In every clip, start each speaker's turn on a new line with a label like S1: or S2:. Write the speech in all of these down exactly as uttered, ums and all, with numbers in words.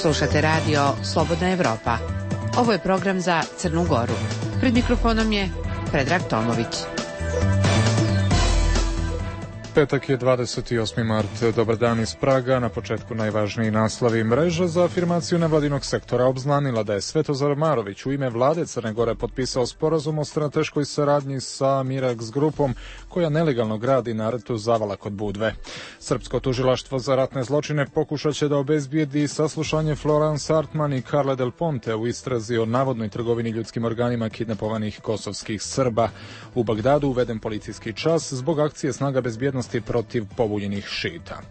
S1: Slušate radio Slobodna Evropa. Ovo je program za Crnu Goru. Pred mikrofonom je Predrag Tomović.
S2: Petak je dvadeset osmi mart. Dobar dan iz Praga. Na početku najvažniji naslovi. Mreža za afirmaciju nevladinog sektora obznanila da je Svetozar Marović u ime vlade Crne Gore potpisao sporazum o strateškoj saradnji sa Mirax grupom koja nelegalno gradi na rtu Zavala kod Budve. Srpsko tužilaštvo za ratne zločine pokušat će da obezbijedi saslušanje Florence Hartman i Carle Del Ponte u istrazi o navodnoj trgovini ljudskim organima kidnapovanih kosovskih Srba. U Bagdadu uveden policijski čas zbog akcije snaga bezbjednosti protiv pobunjenih šita.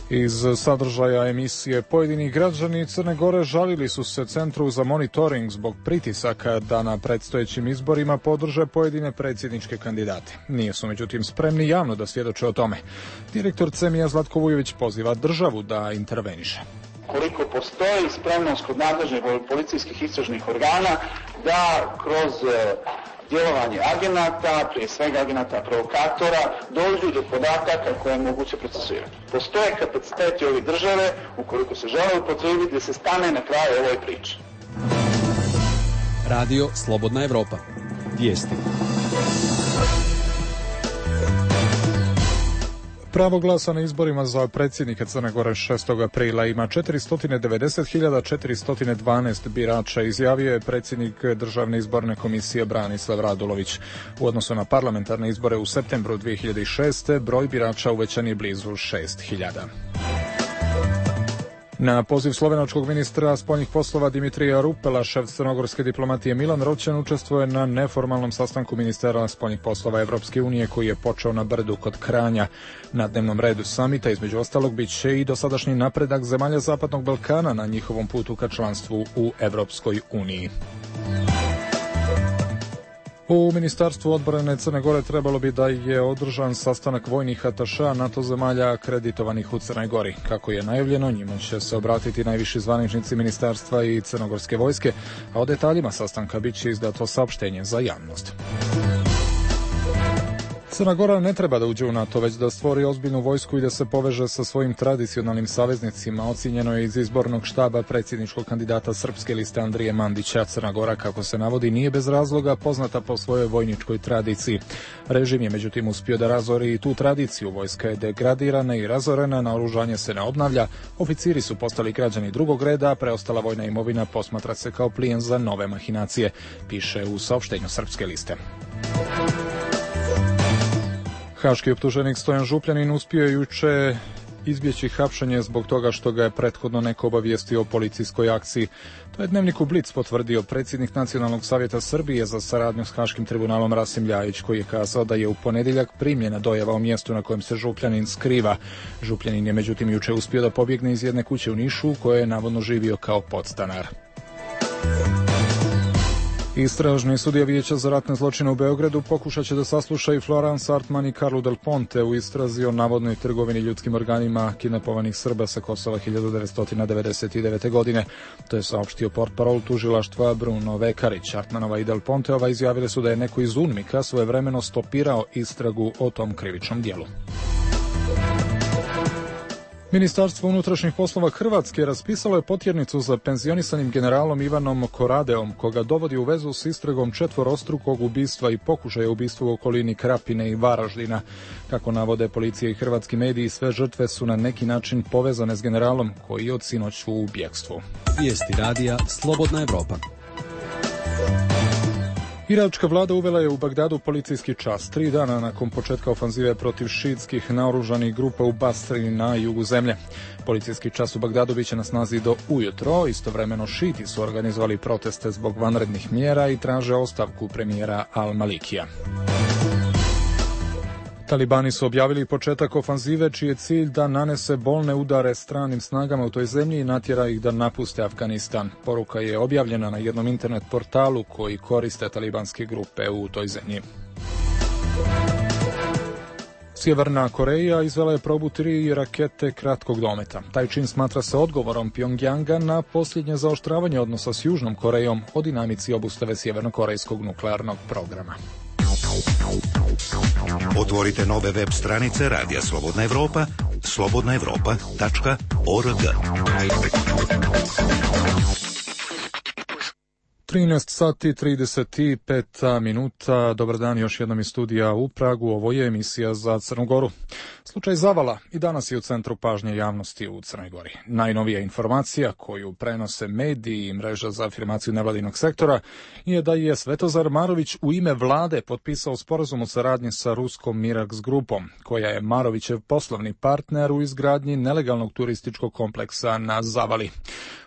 S2: Iz sadržaja emisije pojedini građani Crne Gore žalili su se Centru za monitoring zbog pritisaka da na predstojećim izborima podrže pojedine predsjedničke kandidate. Nije su međutim spremni javno da svjedoče o tome. Direktor CEMIJA Zlatko Vujović poziva državu da interveniše.
S3: Koliko postoji spremnost kod nadležnih policijskih istražnih organa da kroz djelovanje agenata, prije svega agenata provokatora, dođu do podataka koje je moguće procesuirati. Postoje kapaciteti ove države, ukoliko se žele upotrijebiti, da se stane na kraju ovoj priči.
S4: Radio Slobodna Evropa. Vijesti.
S2: Pravo glasa na izborima za predsjednika Crne Gore šestog aprila ima četiristo devedeset hiljada četiristo dvanaest birača, izjavio je predsjednik Državne izborne komisije Branislav Radulović. U odnosu na parlamentarne izbore u septembru dvije hiljade šeste. broj birača uvećan je blizu šest hiljada. Na poziv slovenačkog ministra spoljnih poslova Dimitrija Rupela, šef crnogorske diplomatije Milan Roćen učestvuje na neformalnom sastanku ministara spoljnih poslova Evropske unije koji je počeo na Brdu kod Kranja. Na dnevnom redu samita između ostalog bit će i dosadašnji napredak zemalja Zapadnog Balkana na njihovom putu ka članstvu u Evropskoj uniji. U Ministarstvu odbrane Crne Gore trebalo bi da je održan sastanak vojnih atašea NATO zemalja akreditovanih u Crnoj Gori. Kako je najavljeno, njima će se obratiti najviši zvaničnici ministarstva i crnogorske vojske, a o detaljima sastanka bit će izdato saopštenje za javnost. Crna Gora ne treba da uđe u NATO, već da stvori ozbiljnu vojsku i da se poveže sa svojim tradicionalnim saveznicima, ocjenjeno je iz izbornog štaba predsjedničkog kandidata Srpske liste Andrije Mandića. Crna Gora, kako se navodi, nije bez razloga poznata po svojoj vojničkoj tradiciji. Režim je međutim uspio da razori i tu tradiciju. Vojska je degradirana i razorena, naoružanje se ne obnavlja, oficiri su postali građani drugog reda, a preostala vojna imovina posmatra se kao plijen za nove mahinacije, piše u saopštenju Srpske liste. Haški optuženik Stojan Župljanin uspio je juče izbjeći hapšenje zbog toga što ga je prethodno neko obavijestio o policijskoj akciji. To je Dnevniku Blic potvrdio predsjednik Nacionalnog savjeta Srbije za saradnju s Haškim tribunalom Rasim Ljajić, koji je kazao da je u ponedjeljak primljena dojava o mjestu na kojem se Župljanin skriva. Župljanin je međutim juče uspio da pobjegne iz jedne kuće u Nišu u kojoj je navodno živio kao podstanar. Istražni sudija Vijeća za ratne zločine u Beogradu pokušat će da sasluša i Florence Hartman i Carlu Del Ponte u istrazi o navodnoj trgovini ljudskim organima kidnapovanih Srba sa Kosova hiljadu devetsto devedeset devete. godine. To je saopštio portparol tužilaštva Bruno Vekarić. Hartmanova i Del Ponteova izjavile su da je neko iz UNMIK-a svojevremeno stopirao istragu o tom krivičnom dijelu. Ministarstvo unutrašnjih poslova Hrvatske raspisalo je potjernicu za penzionisanim generalom Ivanom Koradeom, koga dovodi u vezu s istragom četvorostrukog ubistva i pokušaja ubistva u okolini Krapine i Varaždina. Kako navode policija i hrvatski mediji, sve žrtve su na neki način povezane s generalom koji je od sinoć u bjegstvu.
S4: Vijesti radija Slobodna Evropa.
S2: Iračka vlada uvela je u Bagdadu policijski čas, tri dana nakon početka ofanzive protiv šiitskih naoružanih grupa u Basri na jugu zemlje. Policijski čas u Bagdadu biće na snazi do ujutro, istovremeno šiti su organizovali proteste zbog vanrednih mjera i traže ostavku premijera Al-Malikija. Talibani su objavili početak ofanzive čiji je cilj da nanese bolne udare stranim snagama u toj zemlji i natjera ih da napuste Afganistan. Poruka je objavljena na jednom internet portalu koji koriste talibanske grupe u toj zemlji. Sjeverna Koreja izvela je probu tri rakete kratkog dometa. Taj čin smatra se odgovorom Pjongjanga na posljednje zaoštravanje odnosa s Južnom Korejom o dinamici obustave sjevernokorejskog nuklearnog programa.
S5: Otvorite nove web stranice Radija Slobodna Evropa, slobodna evropa tačka org.
S2: trinaest sati trideset pet minuta. Dobar dan još jednom iz studija u Pragu. Ovo je emisija za Crnu Goru. Slučaj Zavala i danas je u centru pažnje javnosti u Crnoj Gori. Najnovija informacija koju prenose mediji i mreža za afirmaciju nevladinog sektora je da je Svetozar Marović u ime vlade potpisao sporazum o saradnji sa ruskom Mirax grupom, koja je Marovićev poslovni partner u izgradnji nelegalnog turističkog kompleksa na Zavali.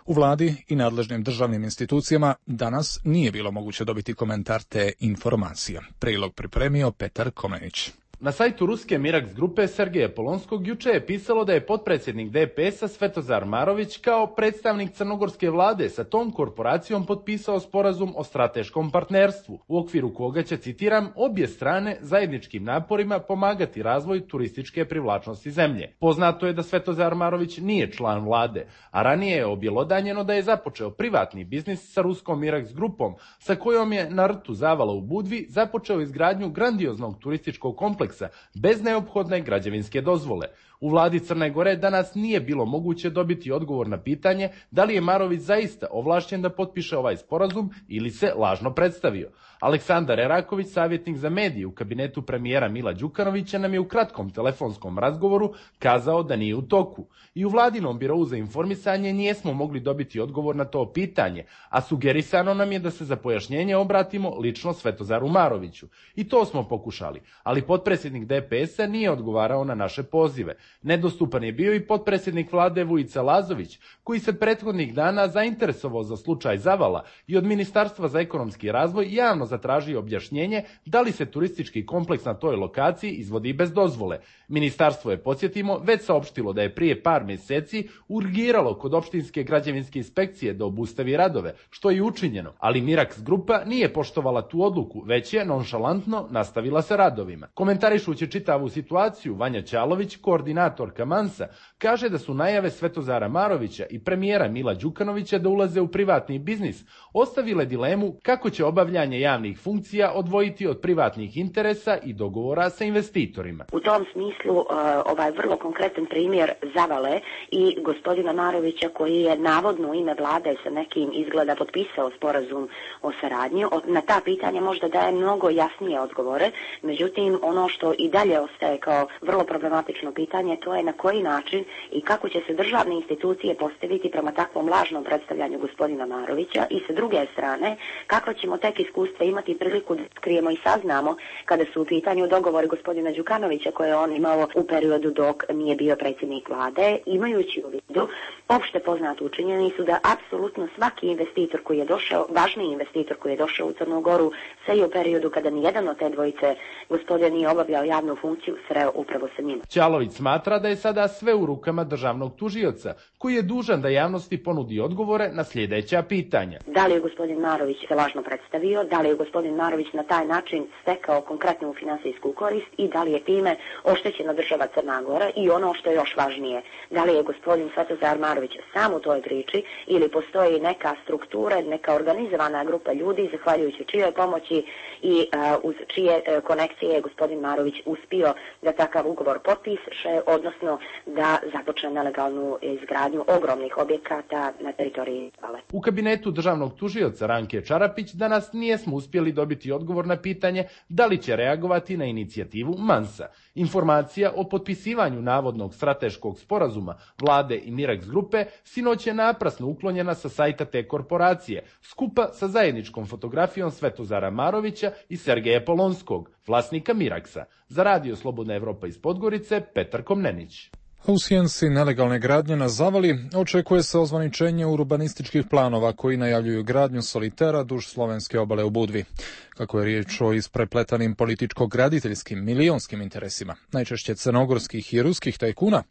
S2: U vladi i nadležnim državnim institucijama danas nije bilo moguće dobiti komentar te informacije. Prilog pripremio Petar Komnenić.
S6: Na sajtu ruske Mirax grupe Sergeja Polonskog juče je pisalo da je potpredsjednik D P S-a Svetozar Marović kao predstavnik crnogorske vlade sa tom korporacijom potpisao sporazum o strateškom partnerstvu, u okviru koga će, citiram, obje strane zajedničkim naporima pomagati razvoj turističke privlačnosti zemlje. Poznato je da Svetozar Marović nije član vlade, a ranije je objelodanjeno da je započeo privatni biznis sa ruskom Mirax grupom, sa kojom je na rtu Zavala u Budvi započeo izgradnju grandioznog turističkog kompleksa bez neophodne građevinske dozvole. U vladi Crne Gore danas nije bilo moguće dobiti odgovor na pitanje da li je Marović zaista ovlašćen da potpiše ovaj sporazum ili se lažno predstavio. Aleksandar Eraković, savjetnik za medije u kabinetu premijera Mila Đukanovića, nam je u kratkom telefonskom razgovoru kazao da nije u toku. I u vladinom birovu za informisanje nijesmo mogli dobiti odgovor na to pitanje, a sugerisano nam je da se za pojašnjenje obratimo lično Svetozaru Maroviću. I to smo pokušali, ali potpredsjednik D P S-a nije odgovarao na naše pozive. Nedostupan je bio i potpredsjednik vlade Vujica Lazović, koji se prethodnih dana zainteresovao za slučaj Zavala i od Ministarstva za ekonomski razvoj javno zatražio objašnjenje da li se turistički kompleks na toj lokaciji izvodi bez dozvole. Ministarstvo je, podsjetimo, već saopštilo da je prije par mjeseci urgiralo kod opštinske građevinske inspekcije da obustavi radove, što je učinjeno, ali Mirax grupa nije poštovala tu odluku, već je nonšalantno nastavila sa radovima. Komentarišući čitavu situaciju, Vanja Ćalović, koordinatorka Mansa, kaže da su najave Svetozara Marovića i premijera Mila Đukanovića da ulaze u privatni biznis ostavile dilemu kako će obavljanje javnih funkcija odvojiti od privatnih interesa i dogovora sa investitorima.
S7: U tom smislu ovaj vrlo konkretan primjer Zavale i gospodina Marovića, koji je navodno u ime vlade sa nekim izgleda potpisao sporazum o saradnji, na ta pitanja možda daje mnogo jasnije odgovore. Međutim, ono što i dalje ostaje kao vrlo problematično pitanje, to je na koji način i kako će se državne institucije postaviti prema takvom lažnom predstavljanju gospodina Marovića, i sa druge strane kako ćemo tek iskustva imati priliku da skrijemo i saznamo kada su u pitanju dogovori gospodina Đukanovića koje je on imao u periodu dok nije bio predsjednik vlade, imajući u vidu opšte poznatu činjenicu da apsolutno svaki investitor koji je došao, važni investitor koji je došao u Crnu Goru, sve je u periodu kada nijedan od te dvojice gospodina nije obavljao javnu funkciju, sreo upravo sa njima.
S6: Ćalović smatra da je sada sve u rukama državnog tužioca, koji je dužan da javnosti ponudi odgovore na sljedeća pitanja.
S7: Da li je gospodin Marović se lažno predstavio, da li je gospodin Marović na taj način stekao konkretnu finansijsku korist i da li je time oštećena država Crna Gora, i ono što je još važnije, da li je gospodin Svetozar Marović sam u toj priči ili postoji neka struktura, neka organizovana grupa ljudi zahvaljujući čijoj pomoći i uh, uz čije uh, konekcije je gospodin Marović uspio da takav ugovor potpiše, odnosno da započne nelegalnu izgradnju ogromnih objekata na teritoriji Zavale.
S6: U kabinetu državnog tužioca Ranke Čarapić danas nijesmo uspjeli dobiti odgovor na pitanje da li će reagovati na inicijativu Mansa. Informacija o potpisivanju navodnog strateškog sporazuma vlade i Mirax grupe sinoć je naprasno uklonjena sa sajta te korporacije, skupa sa zajedničkom fotografijom Svetozara Marovića i Sergeja Polonskog, vlasnika Miraxa. Za Radio Slobodna Evropa iz Podgorice, Petar Komnenić.
S2: U sjensi nelegalne gradnje na Zavali očekuje se ozvaničenje urbanističkih planova koji najavljuju gradnju solitera duž slovenske obale u Budvi. Kako je riječ o isprepletanim političko-graditeljskim milionskim interesima, najčešće crnogorskih i ruskih tajkuna,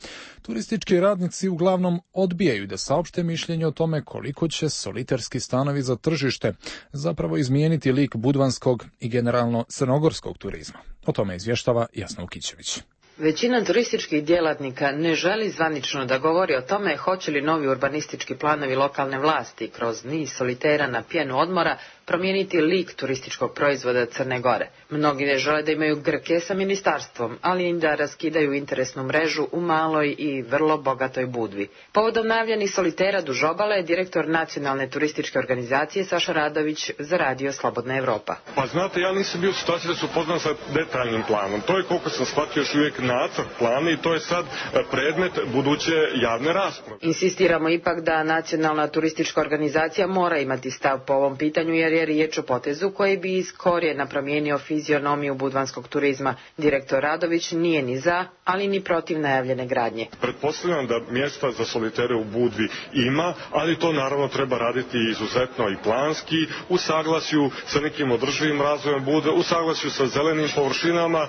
S2: turistički radnici uglavnom odbijaju da saopšte mišljenje o tome koliko će soliterski stanovi za tržište zapravo izmijeniti lik budvanskog i generalno crnogorskog turizma. O tome izvještava Jasna Ukićević.
S1: Većina turističkih djelatnika ne želi zvanično da govori o tome hoće li novi urbanistički planovi lokalne vlasti kroz niz solitera na pjenu odmora promijeniti lik turističkog proizvoda Crne Gore. Mnogi ne žele da imaju grke sa ministarstvom, ali i da raskidaju interesnu mrežu u maloj i vrlo bogatoj Budvi. Povodom najavljenih solitera duž obale, direktor Nacionalne turističke organizacije Saša Radović za radio Slobodna Evropa.
S8: Pa znate, ja nisam bio u situaciji da se upoznam sa detaljnim planom. To je, koliko sam shvatio, još uvijek nacrt plana i to je sad predmet buduće javne rasprave.
S1: Insistiramo ipak da Nacionalna turistička organizacija mora imati stav po ovom pitanju, jer je riječ o potezu koji bi iz korijena promijenio fizionomiju budvanskog turizma. Direktor Radović nije ni za, ali ni protiv najavljene gradnje.
S8: Pretpostavljam da mjesta za solitere u Budvi ima, ali to naravno treba raditi izuzetno i planski, u saglasju sa nekim održivim razvojem Budve, u saglasju sa zelenim površinama. E,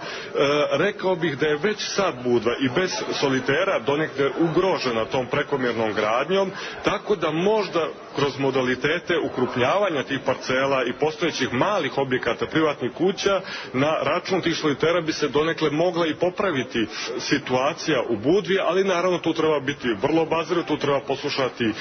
S8: rekao bih da je već sad Budva i bez solitera donekle ugrožena tom prekomjernom gradnjom, tako da možda kroz modalitete ukrupnjavanja tih parcela i postojećih malih objekata privatnih kuća na račun tih solitera bi se donekle mogla i popraviti situacija u Budvi, ali naravno tu treba biti vrlo obazriv, tu treba poslušati e,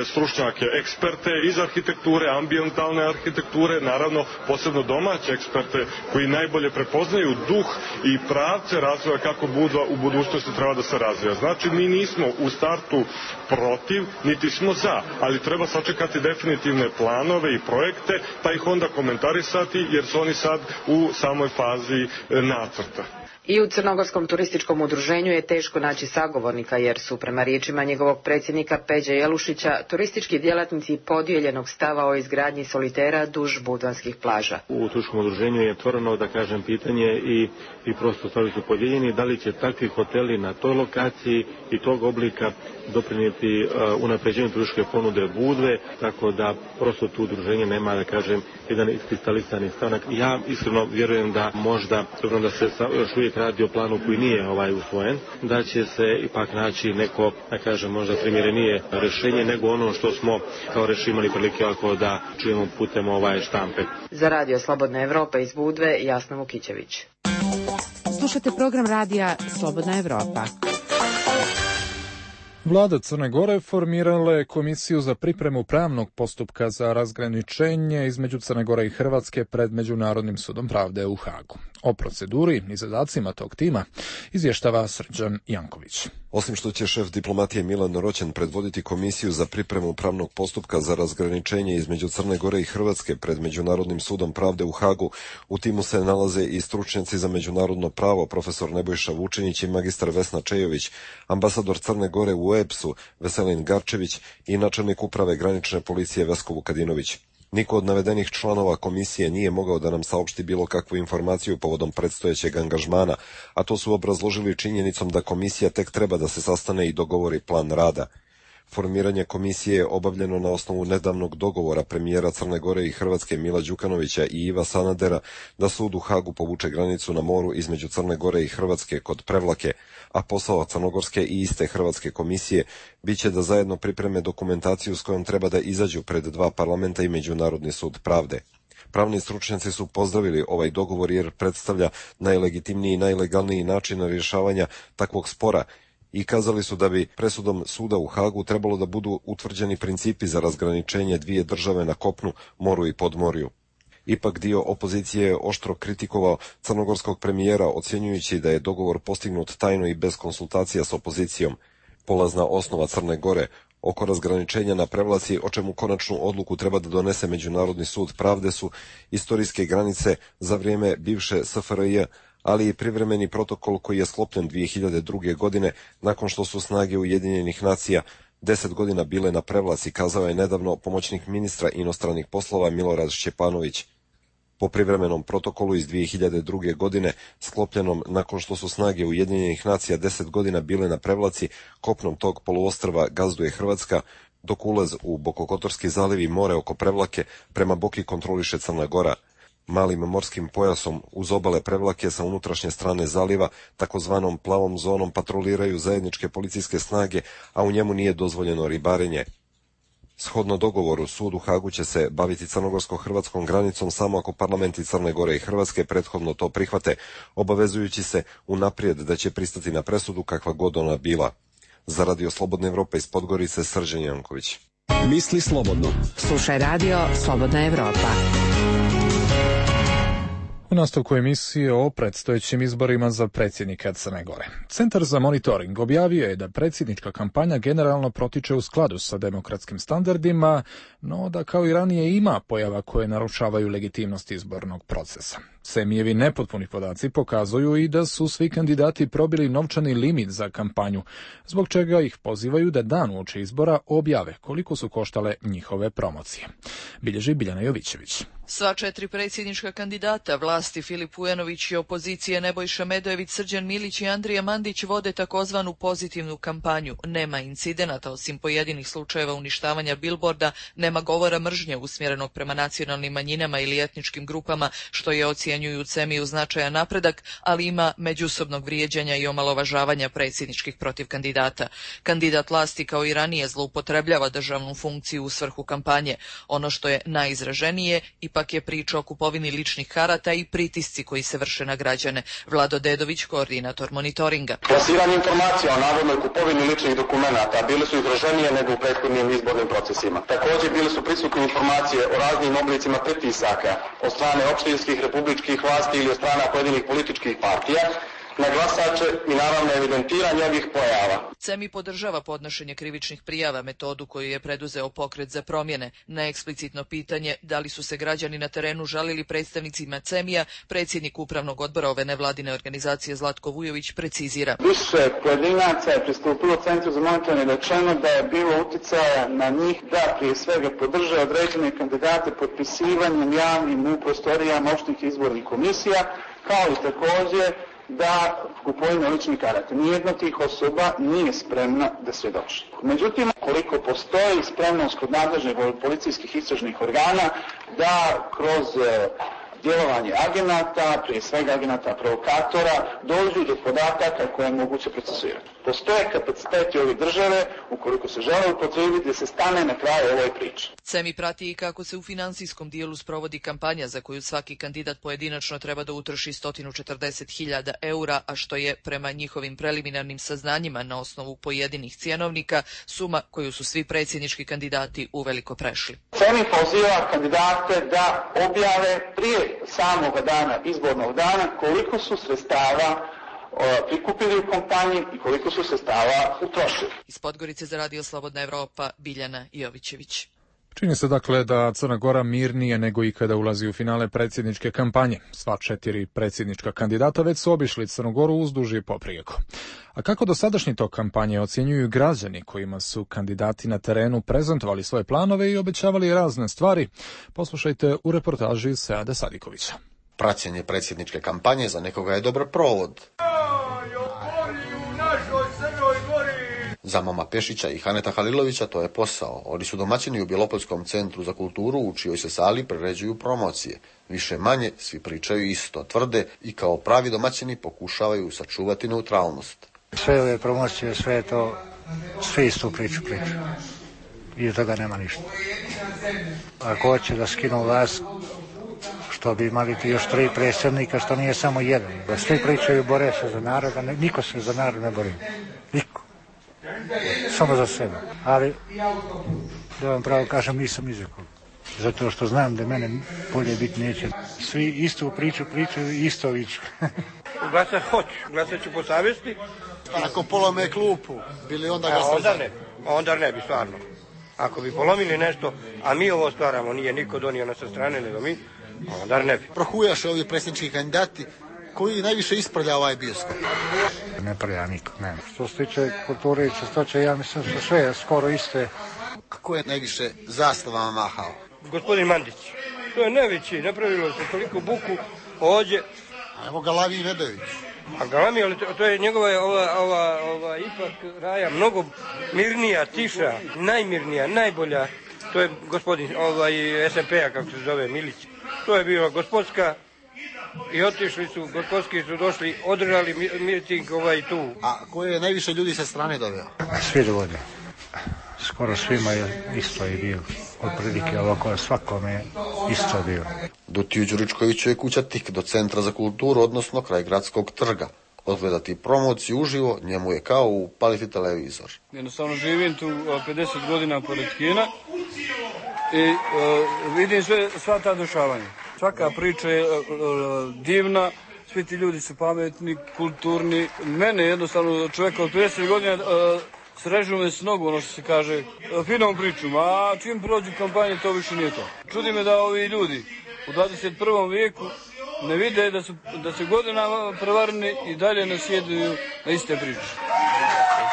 S8: stručnjake, eksperte iz arhitekture, ambijentalne arhitekture, naravno posebno domaće eksperte koji najbolje prepoznaju duh i pravce razvoja kako Budva u budućnosti treba da se razvija. Znači mi nismo u startu protiv, niti smo za, ali treba sačekati definitivne planove i projekte, pa ih onda komentarisati jer su oni sad u samoj fazi nacrta.
S1: I u Crnogorskom turističkom udruženju je teško naći sagovornika, jer su, prema riječima njegovog predsjednika Peđe Jelušića, turistički djelatnici podijeljenog stava o izgradnji solitera duž budvanskih plaža.
S9: U turističkom udruženju je otvoreno, da kažem, pitanje i, i prosto stvari su podijeljeni, da li će takvi hoteli na toj lokaciji i tog oblika doprinijeti uh, unapređenju turističke ponude Budve, tako da prosto tu udruženje nema, da kažem, jedan iskristalisani stanak. Ja iskreno vjerujem da možda, dobro da se još uvijek radi o planu koji nije ovaj usvojen, da će se ipak naći neko, da kažem, možda primjerenije rješenje nego ono što smo kao rješenje imali prilike da čujemo putem ovaj štampe.
S1: Za radio Slobodna Evropa iz Budve, Jasna Vukićević.
S10: Slušate program radija Slobodna Evropa.
S2: Vlada Crne Gore formirala je komisiju za pripremu pravnog postupka za razgraničenje između Crne Gore i Hrvatske pred Međunarodnim sudom pravde u Hagu. O proceduri i zadacima tog tima izvještava Srđan Janković.
S11: Osim što će šef diplomatije Milan Roćen predvoditi komisiju za pripremu pravnog postupka za razgraničenje između Crne Gore i Hrvatske pred Međunarodnim sudom pravde u Hagu, u timu se nalaze i stručnjaci za međunarodno pravo profesor Nebojša Vučinić i magistar Vesna Čejović, ambasador Crne Gore u E P S-u Veselin Garčević i načelnik uprave granične policije Vesko Vukadinović. Niko od navedenih članova komisije nije mogao da nam saopšti bilo kakvu informaciju povodom predstojećeg angažmana, a to su obrazložili činjenicom da komisija tek treba da se sastane i dogovori plan rada. Formiranje komisije je obavljeno na osnovu nedavnog dogovora premijera Crne Gore i Hrvatske Mila Đukanovića i Iva Sanadera da sud u Hagu povuče granicu na moru između Crne Gore i Hrvatske kod Prevlake, a posao crnogorske i iste hrvatske komisije biće da zajedno pripreme dokumentaciju s kojom treba da izađu pred dva parlamenta i Međunarodni sud pravde. Pravni stručnjaci su pozdravili ovaj dogovor jer predstavlja najlegitimniji i najlegalniji način rješavanja takvog spora i kazali su da bi presudom suda u Hagu trebalo da budu utvrđeni principi za razgraničenje dvije države na kopnu, moru i podmorju. Ipak dio opozicije je oštro kritikovao crnogorskog premijera, ocjenjujući da je dogovor postignut tajno i bez konsultacija s opozicijom. Polazna osnova Crne Gore oko razgraničenja na Prevlaci, o čemu konačnu odluku treba da donese Međunarodni sud pravde, su istorijske granice za vrijeme bivše S F R J, ali i privremeni protokol koji je sklopljen dvije hiljade druge. godine nakon što su snage Ujedinjenih nacija deset godina bile na Prevlaci, kazao je nedavno pomoćnik ministra inostranih poslova Milorad Šćepanović. Po privremenom protokolu iz dvije hiljade druge. godine, sklopljenom nakon što su snage Ujedinjenih nacija deset godina bile na Prevlaci, kopnom tog poluostrva gazduje Hrvatska, dok ulaz u Bokokotorski zaliv i more oko Prevlake prema Boki kontroliše Crna Gora. Malim morskim pojasom uz obale Prevlake sa unutrašnje strane zaliva, takozvanom plavom zonom, patroliraju zajedničke policijske snage, a u njemu nije dozvoljeno ribarenje. Shodno dogovoru, sud u Hagu će se baviti crnogorsko-hrvatskom granicom samo ako parlamenti Crne Gore i Hrvatske prethodno to prihvate, obavezujući se unaprijed da će pristati na presudu kakva god ona bila. Za Radio Slobodne Evrope iz Podgorice, Srđan Janković.
S4: Misli slobodno.
S10: Slušaj Radio Slobodna Evropa.
S2: U nastavku emisije o predstojećim izborima za predsjednika Crne Gore. Centar za monitoring objavio je da predsjednička kampanja generalno protiče u skladu sa demokratskim standardima, no da kao i ranije ima pojava koje narušavaju legitimnost izbornog procesa. Semijevi nepotpuni podaci pokazuju i da su svi kandidati probili novčani limit za kampanju, zbog čega ih pozivaju da dan uoči izbora objave koliko su koštale njihove promocije. Bilježi Biljana Jovićević.
S12: Sva četiri predsjednička kandidata, vlasti Filip Vujanović i opozicije Nebojša Medojević, Srđan Milić i Andrija Mandić vode takozvanu pozitivnu kampanju. Nema incidenata osim pojedinih slučajeva uništavanja bilborda, nema govora mržnje usmjerenog prema nacionalnim manjinama ili etničkim grupama, što je ocjenjuju Cemiju značajan napredak, ali ima međusobnog vrijeđanja i omalovažavanja predsjedničkih protiv kandidata. Kandidat vlasti kao i ranije zloupotrebljava državnu funkciju u svrhu kampanje. Ono što je najizraženije ipak je priča o kupovini ličnih karata i pritisci koji se vrše na građane. Vlado Dedović, koordinator monitoringa.
S3: Plasiranje informacija o navodnoj kupovini ličnih dokumenata bile su izraženije nego u prethodnim izbornim procesima. Također bile su prisutne informacije o raznim oblicima pritisaka od strane opštinskih, republičkih vlasti ili od strana pojedinih političkih partija na glasače i naravno evidentiranje ovih pojava.
S12: Cemi podržava podnošenje krivičnih prijava, metodu koju je preduzeo Pokret za promjene. Na eksplicitno pitanje da li su se građani na terenu žalili predstavnicima Cemija, predsjednik upravnog odbora ove nevladine organizacije Zlatko Vujović precizira.
S3: Više pojedinaca je pristupilo Centru za monitoring rečeno da je bilo uticaja na njih da prije svega podrže određene kandidate potpisivanjem javnim u prostorijama opštih izbornih komisija, kao i također da kupovina ličnih karata. Nijedna od tih osoba nije spremna da svjedoči. Međutim, koliko postoji spremnost kod nadležnih policijskih istražnih organa da kroz djelovanje agenata, prije svega agenata provokatora, dođu do podataka koje je moguće procesuirati. Postoje kapaciteti ove države, ukoliko se žele upotrijebiti, da se stane na kraju ovoj priči.
S12: Cemi prati i kako se u financijskom dijelu sprovodi kampanja za koju svaki kandidat pojedinačno treba da utroši sto četrdeset hiljada eura, a što je prema njihovim preliminarnim saznanjima na osnovu pojedinih cjenovnika suma koju su svi predsjednički kandidati uveliko prešli.
S3: Cemi poziva kandidate da objave prije samog dana, izbornog dana, koliko su sredstava prikupili u kampanji i koliko su sredstava utrošili.
S12: Iz Podgorice za Radio Slobodna Evropa, Biljana Jovićević.
S2: Čini se dakle da Crna Gora mirnije nego ikada ulazi u finale predsjedničke kampanje. Sva četiri predsjednička kandidata već su obišli Crnu Goru uzduž i poprijeko. A kako dosadašnji tok kampanje ocjenjuju građani kojima su kandidati na terenu prezentovali svoje planove i obećavali razne stvari, poslušajte u reportaži Seada Sadikovića.
S13: Praćenje predsjedničke kampanje za nekoga je dobar provod. Za Mama Pešića i Haneta Halilovića to je posao. Oni su domaćini u Bjelopolskom centru za kulturu u čijoj se sali priređuju promocije. Više manje svi pričaju isto, tvrde i kao pravi domaćini pokušavaju sačuvati neutralnost.
S14: Sve ove promocije, sve je to, sve istu priču priču. I od toga nema ništa. Ako hoće da skinu vlast, što bi imali ti još tri predsjednika, što nije samo jedan. Da svi pričaju, bore se za narod, a niko se za narod ne bori. Niko. Samo za sebe. Ali, da vam pravo kažem, nisam izrekao. Zato što znam da mene bolje biti neće. Svi istu priču pričaju i isto viču.
S15: Glasat hoću, glasat ću po savjesti.
S16: Ako polome klupu, bili onda glasat?
S15: Onda ne, onda ne bi stvarno. Ako bi polomili nešto, a mi ovo stvaramo, nije niko donio na sa strane, nego mi, onda ne bi.
S16: Prohujaše ovi predsjednički kandidati koji najviše isprlja ovaj bioskop.
S14: Ne prlja niko, ne. Što se tiče kulture i čistoće, ja mislim da su sve skoro iste.
S16: Kako je najviše zastavama mahao?
S15: Gospodin Mandić. To je najveći, napravilo se toliko buku ovdje.
S16: A evo Galami Medojević.
S15: A Galami, ali to, to je njegova ova, ova, ova ipak raja mnogo mirnija, tiša, najmirnija, najbolja. To je gospodin ovaj, es em pe a, kako se zove, Milić. To je bila gospodska i otišli su, gospodski su došli, održali miting ovaj tu.
S16: A koje je najviše ljudi sa strane doveo?
S14: Svi dovoljno. skoro svima je isto je bilo. Otprilike ovako svakome je isto bilo.
S13: Dutiju Đuričkoviću je kuća tik do Centra za kulturu, odnosno kraj gradskog trga. Odgledati promociju uživo njemu je kao upaliti televizor.
S17: Jednostavno živim tu pedeset godina pored kina i uh, vidim sve, sva ta dešavanja. Svaka priča je uh, divna, svi ti ljudi su pametni, kulturni. Mene jednostavno čovjeka od pedeset godina uh, srežu me s nogu, ono što se kaže, uh, finom pričom, a čim prođu kampanje to više nije to. Čudi me da ovi ljudi u dvadeset prvom vijeku ne vide da su, da su godinama prevareni i dalje nasjeduju na iste priče.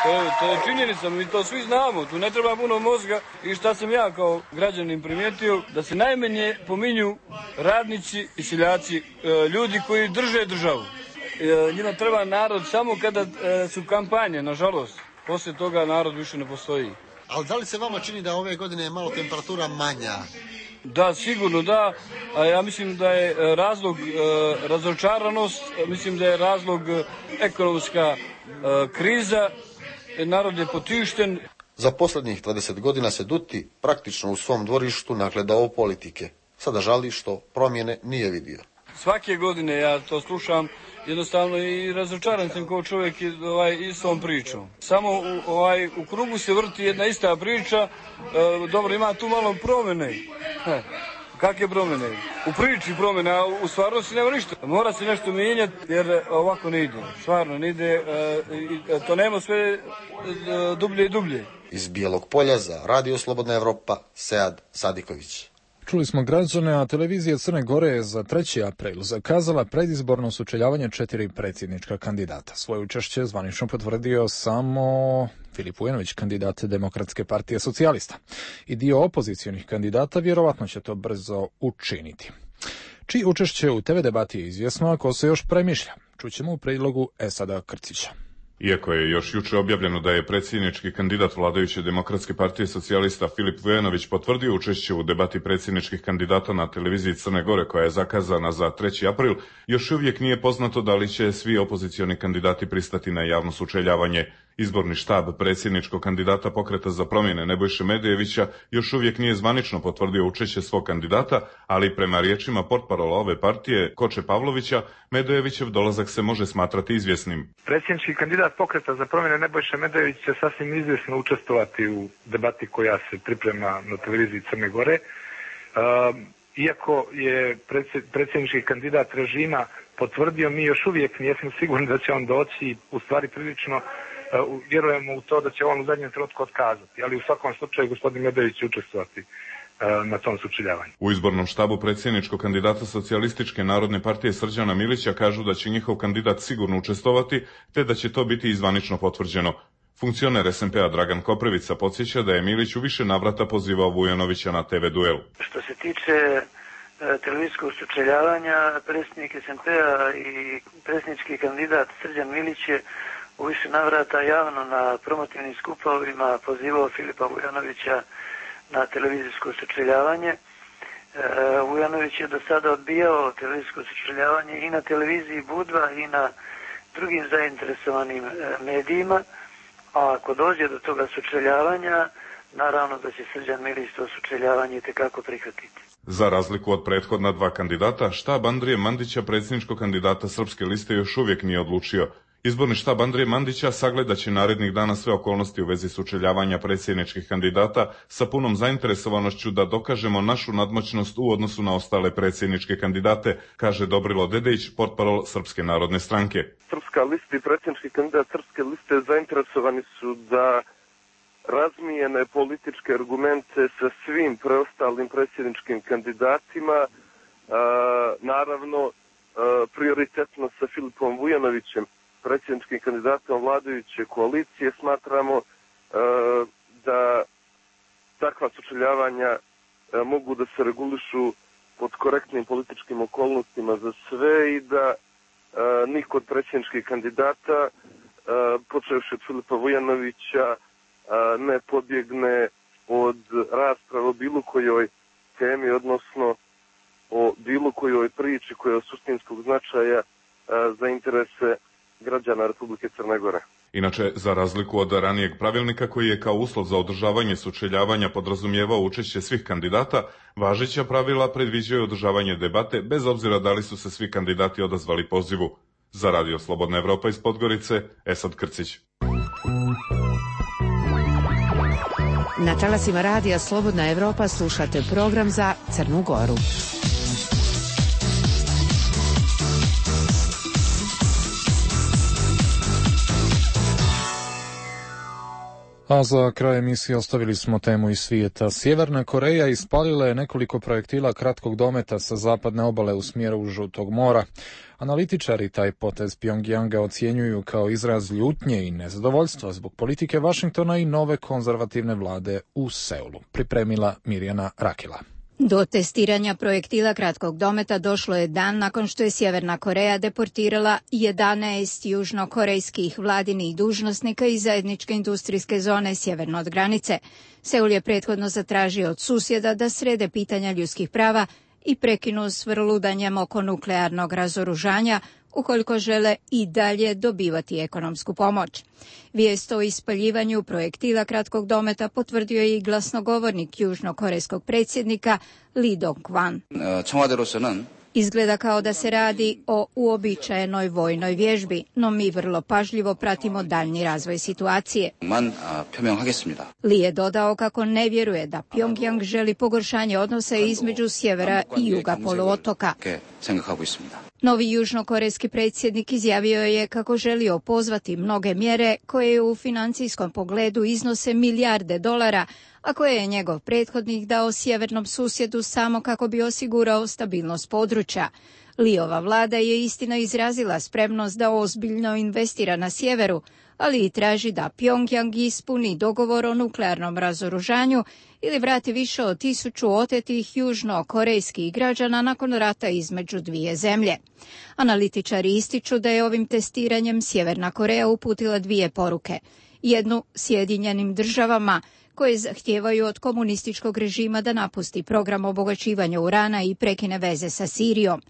S17: To je, to je činjenica, mi to svi znamo, tu ne treba puno mozga i šta sam ja kao građanin primijetio, da se najmanje pominju radnici i seljaci, ljudi koji drže državu. Njima treba narod samo kada su kampanje, nažalost, poslije toga narod više ne postoji.
S16: Ali da li se vama čini da ove godine je malo temperatura manja?
S17: Da, sigurno da, a ja mislim da je razlog e, razočaranost, mislim da je razlog e, ekonomska e, kriza, narod je potišten.
S13: Za posljednjih dvadeset godina se Duti praktično u svom dvorištu nagledao politike. Sada žali što promjene nije vidio.
S17: Svake godine ja to slušam, jednostavno i razočaran sam kao čovjek ovaj, istom pričom. Samo u, ovaj, u krugu se vrti jedna ista priča, e, dobro ima tu malo promjene. He, kakve promjene? U priči promjene, a u stvarnosti nema ništa. Mora se nešto mijenjati jer ovako ne ide. Stvarno ne ide, e, to nema sve e, dublje i dublje.
S13: Iz Bijelog Polja za Radio Slobodna Evropa, Sead Sadiković.
S2: Čuli smo građane, a televizija Crne Gore je za treći april zakazala predizborno sučeljavanje četiri predsjednička kandidata. Svoje učešće zvanično potvrdio samo Filip Vujanović, kandidat Demokratske partije socijalista. I dio opozicionih kandidata vjerovatno će to brzo učiniti. Čiji učešće u te ve debati je izvjesno, ako se još premišlja. Čućemo u prilogu Esada Krcića.
S18: Iako je još juče objavljeno da je predsjednički kandidat vladajuće Demokratske partije socijalista Filip Vujanović potvrdio učešće u debati predsjedničkih kandidata na televiziji Crne Gore koja je zakazana za treći april, još uvijek nije poznato da li će svi opozicioni kandidati pristati na javno sučeljavanje. Izborni štab predsjedničkog kandidata Pokreta za promjene Nebojše Medejevića još uvijek nije zvanično potvrdio učešće svog kandidata, ali prema riječima portparola ove partije Koče Pavlovića, Medejevićev dolazak se može smatrati izvjesnim.
S19: Predsjednički kandidat Pokreta za promjene Nebojše Medejević će sasvim izvjesno učestvovati u debati koja se priprema na televiziji Crne Gore. Uh, iako je predsjednički kandidat režima potvrdio, mi još uvijek nismo sigurni da će on doći i u stvari prilično Uh, vjerujemo u to da će on u zadnjem trenutku otkazati, ali u svakom slučaju gospodin Medejević će učestvovati uh, na tom sučeljavanju.
S18: U izbornom štabu predsjedničkog kandidata Socijalističke narodne partije Srđana Milića kažu da će njihov kandidat sigurno učestvovati, te da će to biti i zvanično potvrđeno. Funkcioner es en pe a Dragan Koprivica podsjeća da je Milić u više navrata pozivao Vujanovića na te ve duel.
S20: Što se tiče uh, televizijskog sučeljavanja, predsjednik es en pe a i predsjednički kandidat Srđan Milić je u više navrata javno na promotivnim skupovima pozivao Filipa Vujanovića na televizijsko sučeljavanje. E, Vujanović je do sada odbijao televizijsko sučeljavanje i na televiziji Budva i na drugim zainteresovanim e, medijima, a ako dođe do toga sučeljavanja, naravno da će Srđan Milić to sučeljavanje itekako prihvatiti.
S18: Za razliku od prethodna dva kandidata, štab Andrije Mandića, predsjedničkog kandidata Srpske liste, još uvijek nije odlučio. Izborni štab Andrije Mandića sagledat će narednih dana sve okolnosti u vezi sučeljavanja predsjedničkih kandidata sa punom zainteresovanošću da dokažemo našu nadmoćnost u odnosu na ostale predsjedničke kandidate, kaže Dobrilo Dedejić, portparol Srpske narodne stranke.
S21: Srpska lista i predsjednički kandidat Srpske liste zainteresovani su da razmijene političke argumente sa svim preostalim predsjedničkim kandidatima, e, naravno e, prioritetno sa Filipom Vujanovićem, predsjedničkim kandidatom vladajuće koalicije. Smatramo e, da takva sučeljavanja e, mogu da se regulišu pod korektnim političkim okolnostima za sve i da e, niko od predsjedničkih kandidata, e, počevši od Filipa Vujanovića, e, ne pobjegne od rasprave o bilo kojoj temi, odnosno o bilo kojoj priči koja je od suštinskog značaja e, za interese građana Republike Crne Gore.
S18: Inače, za razliku od ranijeg pravilnika koji je kao uslov za održavanje sučeljavanja podrazumijevao učešće svih kandidata, važeća pravila predviđaju održavanje debate bez obzira da li su se svi kandidati odazvali pozivu. Za Radio Slobodna Evropa iz Podgorice, Esad Krcić.
S10: Na talasima Radija Slobodna Evropa slušate program za Crnu Goru.
S2: A za kraj emisije ostavili smo temu iz svijeta. Sjeverna Koreja ispalila je nekoliko projektila kratkog dometa sa zapadne obale u smjeru Žutog mora. Analitičari taj potez Pjongjanga ocjenjuju kao izraz ljutnje i nezadovoljstva zbog politike Vašingtona i nove konzervativne vlade u Seulu. Pripremila Mirjana Rakila.
S5: Do testiranja projektila kratkog dometa došlo je dan nakon što je Sjeverna Koreja deportirala jedanaest južnokorejskih vladinih dužnosnika iz zajedničke industrijske zone sjeverno od granice. Seul je prethodno zatražio od susjeda da srede pitanja ljudskih prava i prekinu s vrludanjem oko nuklearnog razoružanja, ukoliko žele i dalje dobivati ekonomsku pomoć. Vijest o ispaljivanju projektila kratkog dometa potvrdio je i glasnogovornik južnokorejskog predsjednika Lee Dong-kwan. Izgleda kao da se radi o uobičajenoj vojnoj vježbi, no mi vrlo pažljivo pratimo daljnji razvoj situacije. Lee je dodao kako ne vjeruje da Pjongjang želi pogoršanje odnosa između sjevera i juga poluotoka. Novi južnokorejski predsjednik izjavio je kako želi opozvati mnoge mjere koje u financijskom pogledu iznose milijarde dolara, a koje je njegov prethodnik dao sjevernom susjedu samo kako bi osigurao stabilnost područja. Liova vlada je istina izrazila spremnost da ozbiljno investira na sjeveru, ali i traži da Pjongjang ispuni dogovor o nuklearnom razoružanju ili vrati više od tisuću otetih južnokorejskih građana nakon rata između dvije zemlje. Analitičari ističu da je ovim testiranjem Sjeverna Koreja uputila dvije poruke. Jednu Sjedinjenim državama, koje zahtijevaju od komunističkog režima da napusti program obogaćivanja urana i prekine veze sa Sirijom.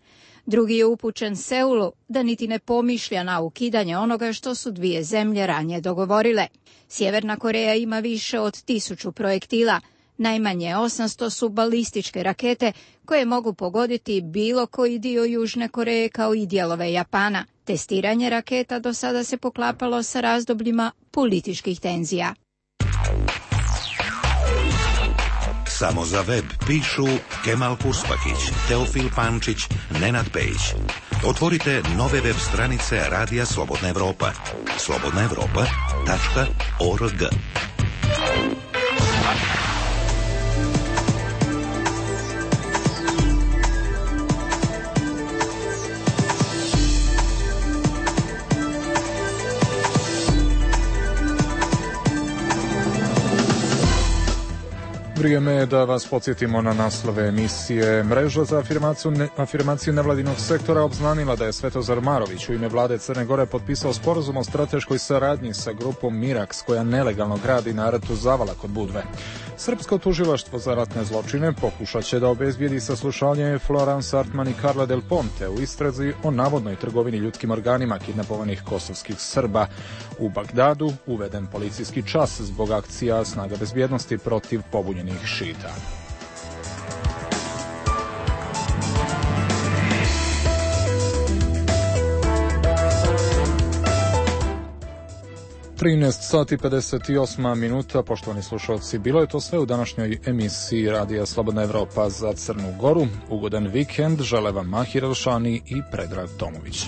S5: Drugi je upućen Seulu da niti ne pomišlja na ukidanje onoga što su dvije zemlje ranije dogovorile. Sjeverna Koreja ima više od tisuću projektila, najmanje osamsto su balističke rakete koje mogu pogoditi bilo koji dio Južne Koreje kao i dijelove Japana. Testiranje raketa do sada se poklapalo sa razdobljima političkih tenzija.
S22: Samo za web pišu Kemal Kuspakić, Teofil Pančić, Nenad Pejić. Otvorite nove web stranice Radija Slobodna Evropa. slobodna evropa tačka org.
S2: Vrijeme je da vas podsjetimo na naslove emisije. Mreža za afirmaciju, ne, afirmaciju nevladinog sektora obznanila da je Svetozar Marović u ime vlade Crne Gore potpisao sporazum o strateškoj saradnji sa grupom Miraks, koja nelegalno gradi na rtu Zavala kod Budve. Srpsko tužilaštvo za ratne zločine pokušat će da obezbijedi saslušanje Florence Artman i Carla Del Ponte u istrazi o navodnoj trgovini ljudskim organima kidnapovanih kosovskih Srba. U Bagdadu uveden policijski čas zbog akcija snaga bezbjednosti protiv pobunjenih šita. trinaest sati pedeset osam minuta, poštovani slušalci, bilo je to sve u današnjoj emisiji Radija Slobodna Evropa za Crnu Goru. Ugodan vikend žele vam Mahir Elšani i Predrag Tomović.